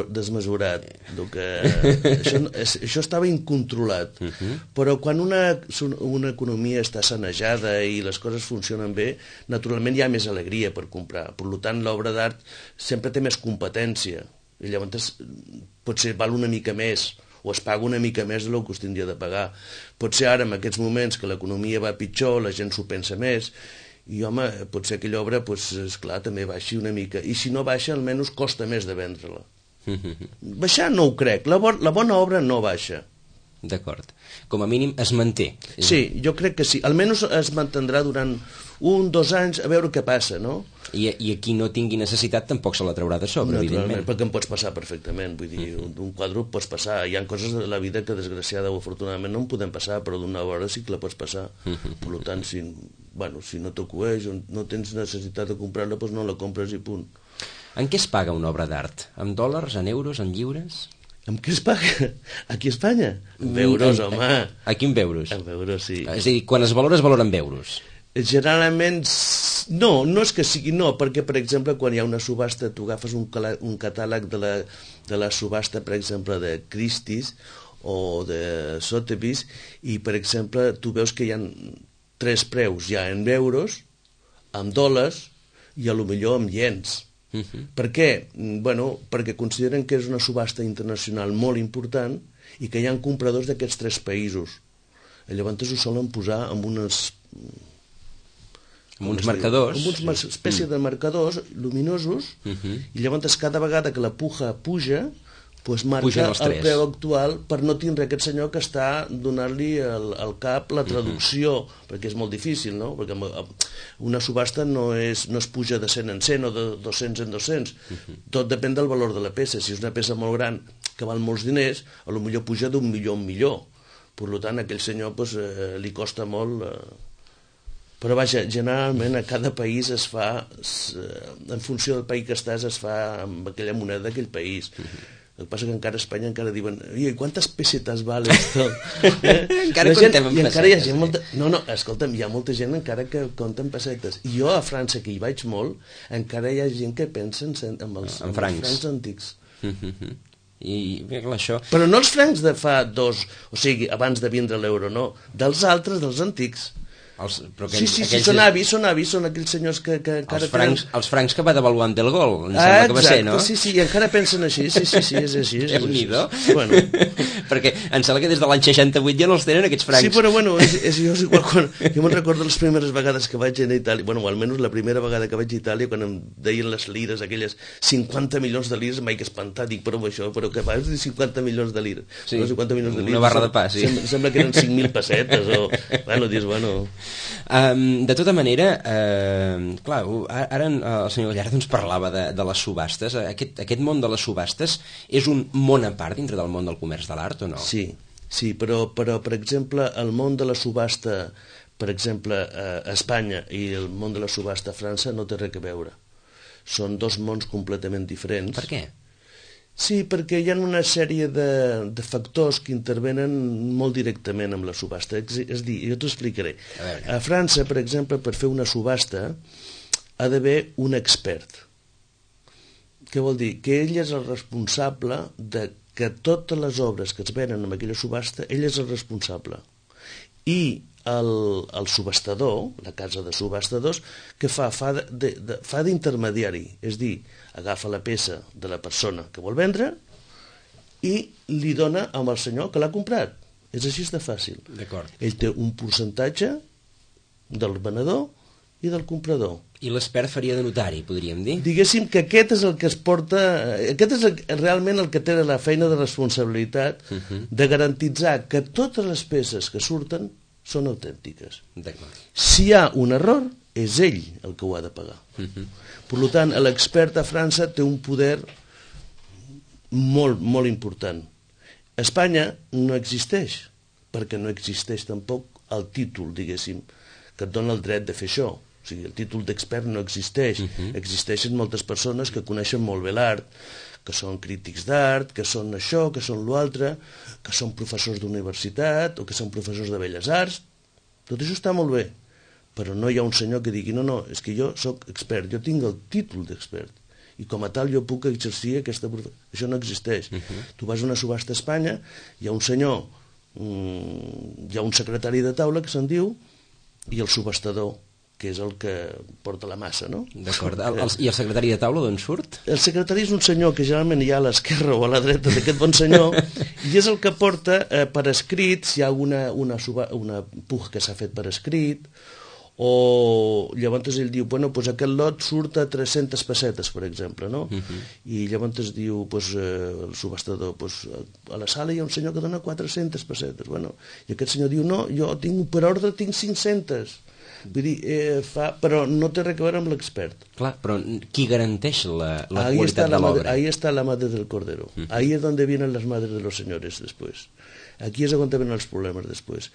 desmesurat. Que, això, això estava incontrolat. Uh-huh. Però quan una, una economia està sanejada i les coses funcionen bé, naturalment hi ha més alegria per comprar. Per tant, l'obra d'art sempre té més competència i llavors potser val una mica més o es paga una mica més del que es tindria de pagar. Potser ara, en aquests moments que l'economia va pitjor, la gent s'ho pensa més i, home, potser aquella obra, doncs, esclar, també baixi una mica. I si no baixa, almenys costa més de vendre-la. Baixar no ho crec. La, bo la bona obra no baixa. D'acord. Com a mínim es manté. Sí, jo crec que sí. Almenys es mantindrà durant un, dos anys, a veure què passa, no? I, i a qui no tingui necessitat tampoc se la traurà de sobre, evidentment. Perquè em pots passar perfectament, vull dir, un, un quadre pots passar. Hi ha coses de la vida que, desgraciada o afortunadament, no en podem passar, però d'una hora sí que la pots passar. Per tant, si, bueno, si no t'ho coeix o no tens necessitat de comprar-la, doncs no la compres i punt. En què es paga una obra d'art? En dòlars, en euros, en lliures? En què es paga? Aquí a Espanya? En euros, home. Aquí en euros? En euros, sí. És a dir, quan es valora, es valora en euros? Generalment, no, no és que sigui no, perquè, per exemple, quan hi ha una subhasta, tu agafes un, un catàleg de la, de la subhasta, per exemple, de Christie's o de Sotheby's, i, per exemple, tu veus que hi ha tres preus, ja en euros, en dòlars i a lo millor en iens. Uh-huh. Per què? Bueno, perquè consideren que és una subhasta internacional molt important i que hi ha compradors d'aquests tres països. I llavors ho solen posar amb unes... amb uns marcadors. Amb una espècie de marcadors luminosos, uh-huh. I llavors cada vegada que la puja puja, pues marca el preu actual per no tindre aquest senyor que està donant-li al, al cap la traducció, uh-huh. Perquè és molt difícil, no? Perquè una subhasta no, és, no es puja de cent en cent o de dos-cents en dos-cents, uh-huh. Tot depèn del valor de la peça. Si és una peça molt gran que val molts diners, a lo millor puja d'un milió en milió. Per tant, a aquell senyor pues, eh, li costa molt... Eh... Però vaja, generalment a cada país es fa, en funció del país que estàs, es fa amb aquella moneda d'aquell país. El que passa que encara a Espanya encara diuen i quantes pessetes val esto? Eh? Encara contem amb pessetes. Encara hi ha gent molta... No, no, escolta'm, hi ha molta gent encara que compta en pessetes. I jo a França, que hi vaig molt, encara hi ha gent que pensa en, en els, en francs. francs. francs antics. I clar, això... Però no els francs de fa dos, o sigui, abans de vindre l'euro, no, dels altres, dels antics. Els, però aquells, sí, sí, sí, són avis, són avis, són aquells senyors que, que encara els francs, tenen... Els francs que va devaluant del gol, em ah, sembla exacte, que va ser, no? Sí, sí, i encara pensen així, sí, sí, sí, és així. És Déu-n'hi-do. Bueno. Perquè em sembla que des de l'any seixanta-vuit ja no els tenen, aquests francs. Sí, però bueno, és, és, jo, és igual, quan, jo me'n recordo les primeres vegades que vaig a Itàlia, bueno, almenys la primera vegada que vaig a Itàlia, quan em deien les lires, aquelles cinquanta milions de lires, mai que espantar, dic, però això, però que vas dir cinquanta milions de lires? Sí, no, cinquanta milions de lires, una barra de pa, sí. Sembla, sembla que eren cinc mil pessetes, o, bueno, dius, bueno... Um, de tota manera, uh, clar, ara el senyor Gallardo ens parlava de, de les subhastes. Aquest, aquest món de les subhastes és un món a part dintre del món del comerç de l'art o no? Sí, sí, però, però per exemple, el món de la subhasta, per exemple, a Espanya i el món de la subhasta a França no té res a veure. Són dos mons completament diferents. Per què? Sí, perquè hi ha una sèrie de, de factors que intervenen molt directament amb la subhasta. És, és dir, jo t'ho explicaré. A, a França, per exemple, per fer una subhasta ha d'haver un expert. Què vol dir? Que ell és el responsable de que totes les obres que es venen en aquella subhasta, ell és el responsable. I el, el subhastador, la casa de subhastadors, que fa? Fa de, de, de, fa d'intermediari, és dir, agafa la peça de la persona que vol vendre i li dona amb el senyor que l'ha comprat. És així de fàcil. D'acord. Ell té un percentatge del venedor i del comprador. I l'expert faria de notari, podríem dir? Diguéssim que aquest és el que es porta... Aquest és el, realment el que té la feina de responsabilitat uh -huh. de garantitzar que totes les peces que surten són autèntiques. D'acord. Si hi ha un error, és ell el que ho ha de pagar. Uh -huh. Per tant, l'expert a França té un poder molt, molt important. A Espanya no existeix, perquè no existeix tampoc el títol, diguéssim, que et dona el dret de fer això. O sigui, el títol d'expert no existeix. Uh -huh. Existeixen moltes persones que coneixen molt bé l'art, que són crítics d'art, que són això, que són l'altre, que són professors d'universitat o que són professors de belles arts. Tot això està molt bé, però no hi ha un senyor que digui no, no, és que jo sóc expert, jo tinc el títol d'expert i com a tal jo puc exercir aquesta professió. Això no existeix. Uh -huh. Tu vas a una subhasta a Espanya, hi ha un senyor, um, hi ha un secretari de taula que se'n diu i el subhastador, que és el que porta la massa, no? D'acord. I el secretari de taula d'on surt? El secretari és un senyor que generalment hi ha a l'esquerra o a la dreta d'aquest bon senyor i és el que porta eh, per escrit si hi ha una, una, una puja que s'ha fet per escrit, o llavors ell diu, bueno, pues aquest lot surt a tres-centes pessetes, per exemple, no? Uh -huh. I llavors es diu, pues, eh, el subhastador, pues, a la sala hi ha un senyor que dona quatre-centes pessetes, bueno, i aquest senyor diu, no, jo tinc, per ordre tinc cinc-centes. Vull dir, eh, fa, però no té res a veure amb l'expert. Clar, però qui garanteix la, la ahí qualitat la de l'obra? Ahí està la madre del cordero. Uh -huh. Ahí es donde vienen las madres de los señores después. Aquí és on venen els problemes després.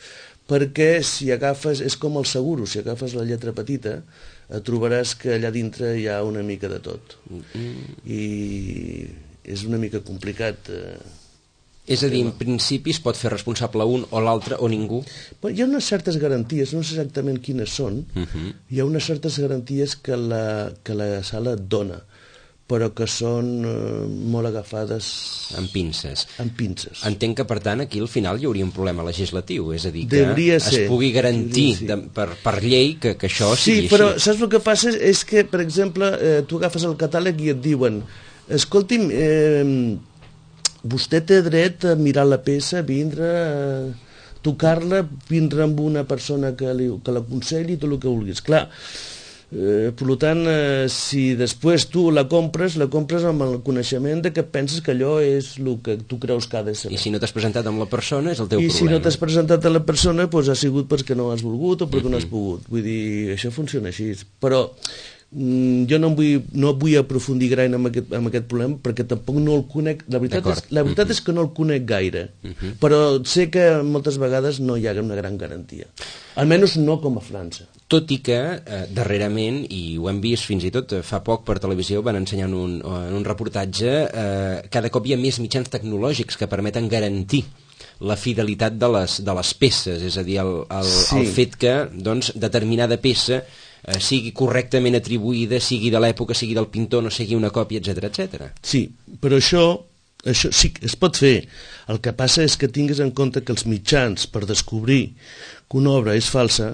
Perquè si agafes, és com el seguro, si agafes la lletra petita, et trobaràs que allà dintre hi ha una mica de tot. Uh -huh. I és una mica complicat... Eh, És a dir, en principi es pot fer responsable un o l'altre o ningú? Però hi ha unes certes garanties, no sé exactament quines són, uh -huh. hi ha unes certes garanties que la, que la sala et dona, però que són eh, molt agafades... Amb pinces. Amb pinces. Entenc que, per tant, aquí al final hi hauria un problema legislatiu, és a dir, que Devria es ser. pugui garantir sí. de, per, per llei que, que això sí, sigui així. Sí, però saps el que passa? És que, per exemple, eh, tu agafes el catàleg i et diuen escolti'm, eh, vostè té dret a mirar la peça, vindre, a tocar-la, vindre amb una persona que, li, que l'aconselli, tot el que vulguis. Clar, eh, per tant, eh, si després tu la compres, la compres amb el coneixement de que penses que allò és el que tu creus que ha de ser. I si no t'has presentat amb la persona, és el teu I problema. I si no t'has presentat a la persona, doncs ha sigut perquè no has volgut o perquè uh-huh. no has pogut. Vull dir, això funciona així. Però jo no vull, no vull aprofundir gaire en aquest, en aquest problema perquè tampoc no el conec, la veritat, és, la veritat uh-huh. és que no el conec gaire, uh-huh. però sé que moltes vegades no hi ha una gran garantia, almenys no com a França. Tot i que eh, darrerament, i ho hem vist fins i tot fa poc per televisió, van ensenyar en un, en un reportatge, eh, cada cop hi ha més mitjans tecnològics que permeten garantir la fidelitat de les, de les peces, és a dir, el, el, sí. el fet que doncs, determinada peça Eh, sigui correctament atribuïda, sigui de l'època, sigui del pintor, no sigui una còpia, etcètera, etcètera. Sí, però això, això sí que es pot fer. El que passa és que tingues en compte que els mitjans per descobrir que una obra és falsa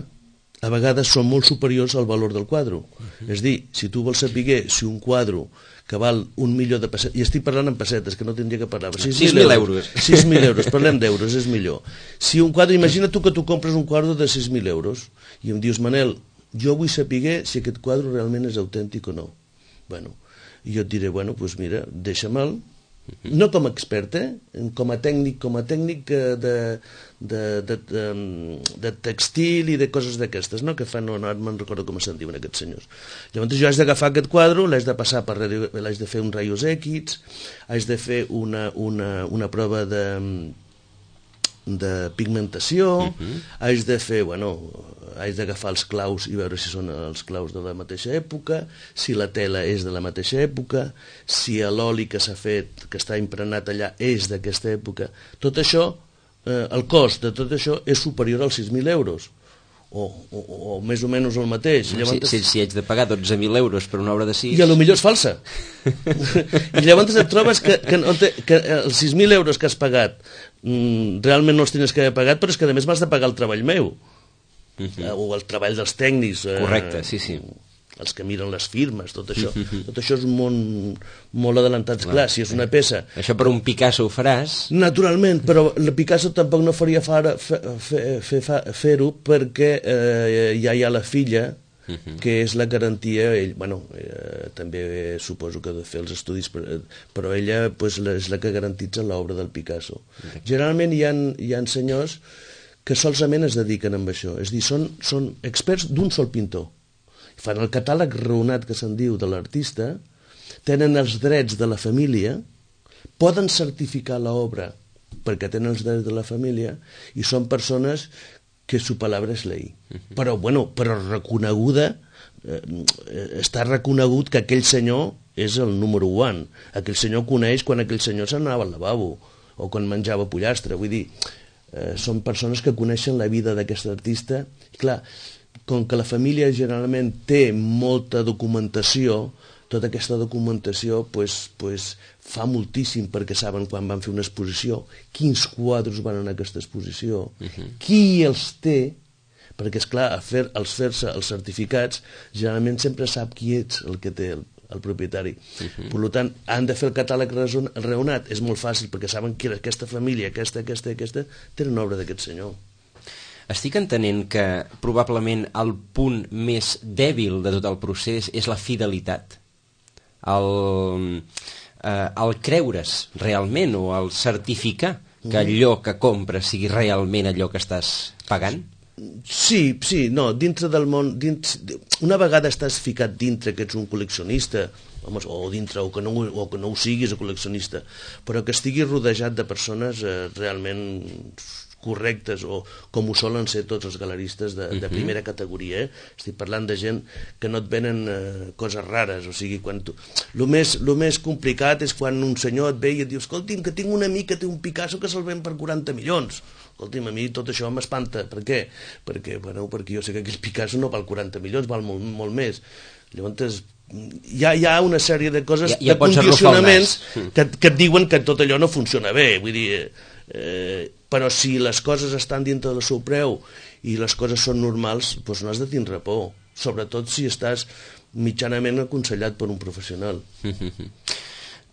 a vegades són molt superiors al valor del quadre. Uh-huh. És dir, si tu vols saber si un quadre que val un milió de pessetes, i estic parlant en pessetes, que no tindria que parlar, sis mil euros. sis mil euros, parlem d'euros, és millor. Si un quadre, imagina tu que tu compres un quadre de sis mil euros i em dius, Manel, jo vull saber si aquest quadre realment és autèntic o no. Bueno, i jo et diré, bueno, doncs mira, deixa'me'l No com a expert, eh? Com a tècnic, com a tècnic de, de, de, de, de, de textil i de coses d'aquestes, no? Que fan, no, no me'n recordo com se'n diuen aquests senyors. Llavors jo haig d'agafar aquest quadre, l'haig de passar per radio, l'haig de fer un raios X, haig de fer una, una, una prova de, de pigmentació, uh-huh. haig de fer, bueno, haig d'agafar els claus i veure si són els claus de la mateixa època, si la tela és de la mateixa època, si l'oli que s'ha fet, que està impregnat allà, és d'aquesta època. Tot això, eh, el cost de tot això és superior als sis mil euros, o, o, o més o menys el mateix. Llavors, si, si, si haig de pagar dotze mil euros per una obra de sis... I a lo millor és falsa. I llavors et trobes que, que, no te, que els sis mil euros que has pagat mm, realment no els tens que haver pagat, però és que a més m'has de pagar el treball meu. Uh-huh. O el treball dels tècnics, eh, correcte, sí, sí. Els que miren les firmes, tot això. Uh-huh. Tot això és món molt adelantat. Clar, clar, si és una peça... Això per un Picasso ho faràs? Naturalment, però el Picasso tampoc no faria fer-ho fer, fer, fer, perquè eh, ja hi ha la filla, uh-huh. que és la garantia. Ell, bueno, eh, també suposo que ha de fer els estudis, però ella pues, és la que garantitza l'obra del Picasso. Uh-huh. Generalment hi ha, hi ha senyors que solament es dediquen a això, és a dir, són, són experts d'un sol pintor. Fan el catàleg raonat que se'n diu de l'artista, tenen els drets de la família, poden certificar l'obra perquè tenen els drets de la família i són persones que su palabra és ley. Uh-huh. Però, bueno, però reconeguda, eh, està reconegut que aquell senyor és el número one. Aquell senyor coneix quan aquell senyor s'anava al lavabo o quan menjava pollastre, vull dir... Eh, són persones que coneixen la vida d'aquest artista. I clar, com que la família generalment té molta documentació, tota aquesta documentació pues, pues, fa moltíssim perquè saben quan van fer una exposició, quins quadres van en aquesta exposició, uh-huh. qui els té, perquè esclar, al fer, als fer-se els certificats, generalment sempre sap qui ets el que té el el propietari. Uh-huh. Per tant, han de fer el catàleg raonat. És molt fàcil, perquè saben que aquesta família, aquesta, aquesta i aquesta, tenen obra d'aquest senyor. Estic entenent que probablement el punt més dèbil de tot el procés és la fidelitat. El, eh, el creure's realment o el certificar que allò que compres sigui realment allò que estàs pagant? Sí, sí, no, dintre del món, dins, una vegada estàs ficat dintre que ets un col·leccionista, o dintre, o que no, o que no ho siguis, o col·leccionista, però que estiguis rodejat de persones eh, realment correctes, o com ho solen ser tots els galeristes de, de primera categoria, eh? Estic parlant de gent que no et venen eh, coses rares, o sigui, quan tu... El més, lo més complicat és quan un senyor et ve i et diu, escolti'm, que tinc un amic que té un Picasso que se'l ven per quaranta milions. Escolti'm, a mi tot això m'espanta. Per què? Perquè, bueno, perquè jo sé que aquell Picasso no val quaranta milions, val molt, molt més. Llavors, hi ha, hi ha una sèrie de coses, ja, ja de condicionaments que, que et diuen que tot allò no funciona bé. Vull dir, eh, però si les coses estan dintre del seu preu i les coses són normals, doncs no has de tindre por. Sobretot si estàs mitjanament aconsellat per un professional.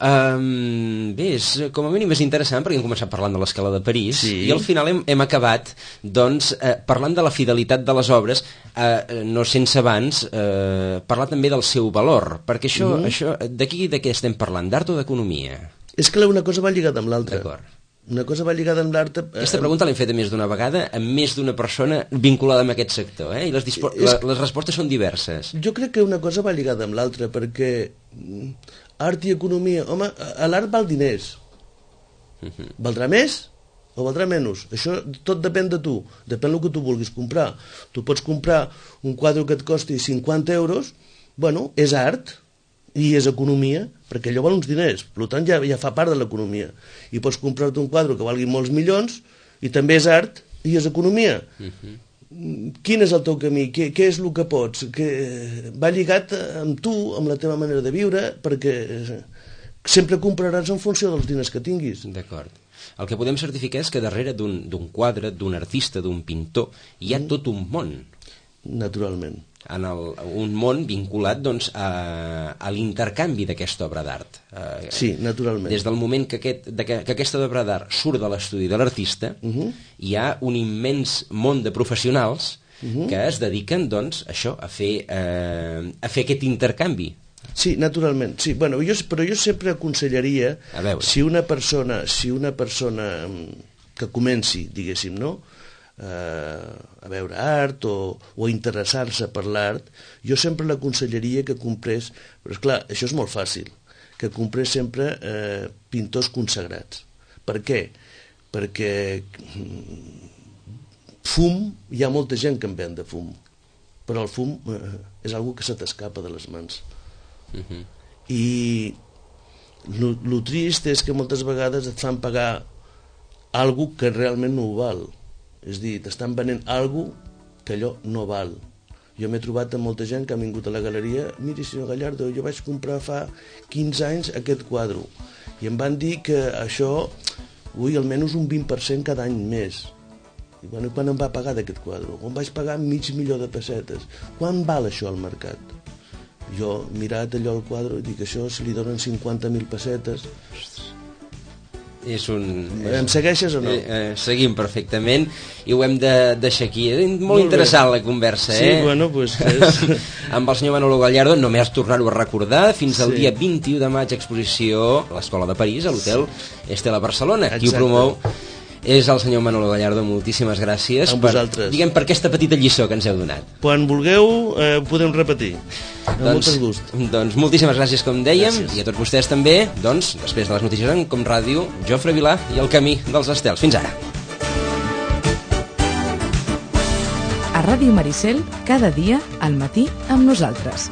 Um, bé, és, com a mínim és interessant perquè hem començat parlant de l'Escala de París, sí. I al final hem, hem acabat doncs, eh, parlant de la fidelitat de les obres, eh, no sense abans eh, parlar també del seu valor, perquè això, mm-hmm. això d'aquí de què estem parlant? D'art o d'economia? És que una cosa va lligada amb l'altra. D'acord. Una cosa va lligada amb l'art... Aquesta pregunta l'hem fet més d'una vegada amb més d'una persona vinculada amb aquest sector, eh? I les, dispo... és... les respostes són diverses. Jo crec que una cosa va lligada amb l'altra, perquè art i economia... Home, l'art val diners. Uh-huh. Valdrà més o valdrà menys? Això tot depèn de tu, depèn del que tu vulguis comprar. Tu pots comprar un quadre que et costi cinquanta euros, bueno, és art i és economia, perquè allò val uns diners, per tant ja, ja fa part de l'economia. I pots comprar-te un quadre que valgui molts milions i també és art i és economia. Uh-huh. Quin és el teu camí? Què, què és el que pots? Que va lligat amb tu, amb la teva manera de viure, perquè sempre compraràs en funció dels diners que tinguis. D'acord. El que podem certificar és que darrere d'un d'un quadre, d'un artista, d'un pintor, hi ha mm. tot un món. Naturalment. En el, un món vinculat doncs, a, a l'intercanvi d'aquesta obra d'art. Eh, sí, naturalment. Des del moment que, aquest, de que, que aquesta obra d'art surt de l'estudi de l'artista, uh-huh. hi ha un immens món de professionals uh-huh. que es dediquen doncs, a això, a fer, eh, a fer aquest intercanvi. Sí, naturalment, sí. Bueno, jo, però jo sempre aconsellaria, si una persona, si una persona que comenci, diguéssim, no?, eh, a veure art o, o a interessar-se per l'art, jo sempre l'aconsellaria que comprés, però esclar, això és molt fàcil, que comprés sempre eh, pintors consagrats. Per què? Perquè fum, hi ha molta gent que en ven de fum, però el fum eh, és algo que se t'escapa de les mans. Uh-huh. I el trist és que moltes vegades et fan pagar algo que realment no ho val, és dir, t'estan venent algo que allò no val. Jo m'he trobat amb molta gent que ha vingut a la galeria, miri senyor Gallardo, jo vaig comprar fa quinze anys aquest quadre i em van dir que això, ui, almenys un vint per cent cada any més. I bueno, quan em va pagar d'aquest quadre? On vaig pagar mig milió de pessetes. Quan val això al mercat? Jo he mirat allò al quadre i dic, això si li donen cinquanta mil pessetes... És un... Em segueixes o no? Eh, eh, seguim perfectament i ho hem de deixar aquí. És molt, molt interessant bé. La conversa, sí, eh? Sí, bueno, doncs... És... Amb el senyor Manolo Gallardo, només tornar-ho a recordar, fins al sí. dia vint-i-u de maig, exposició a l'Escola de París, a l'hotel Estela Barcelona. Qui ho promou és el senyor Manolo Gallardo. Moltíssimes gràcies per, diguem, per aquesta petita lliçó que ens heu donat. Quan vulgueu eh, ho podem repetir amb doncs, molt gust. Doncs moltíssimes gràcies, com dèiem, gràcies. I a tots vostès també, doncs, després de les notícies en Com Ràdio, Jofre Vilà i el Camí dels Estels. Fins ara. A Ràdio Maricel, cada dia al matí amb nosaltres.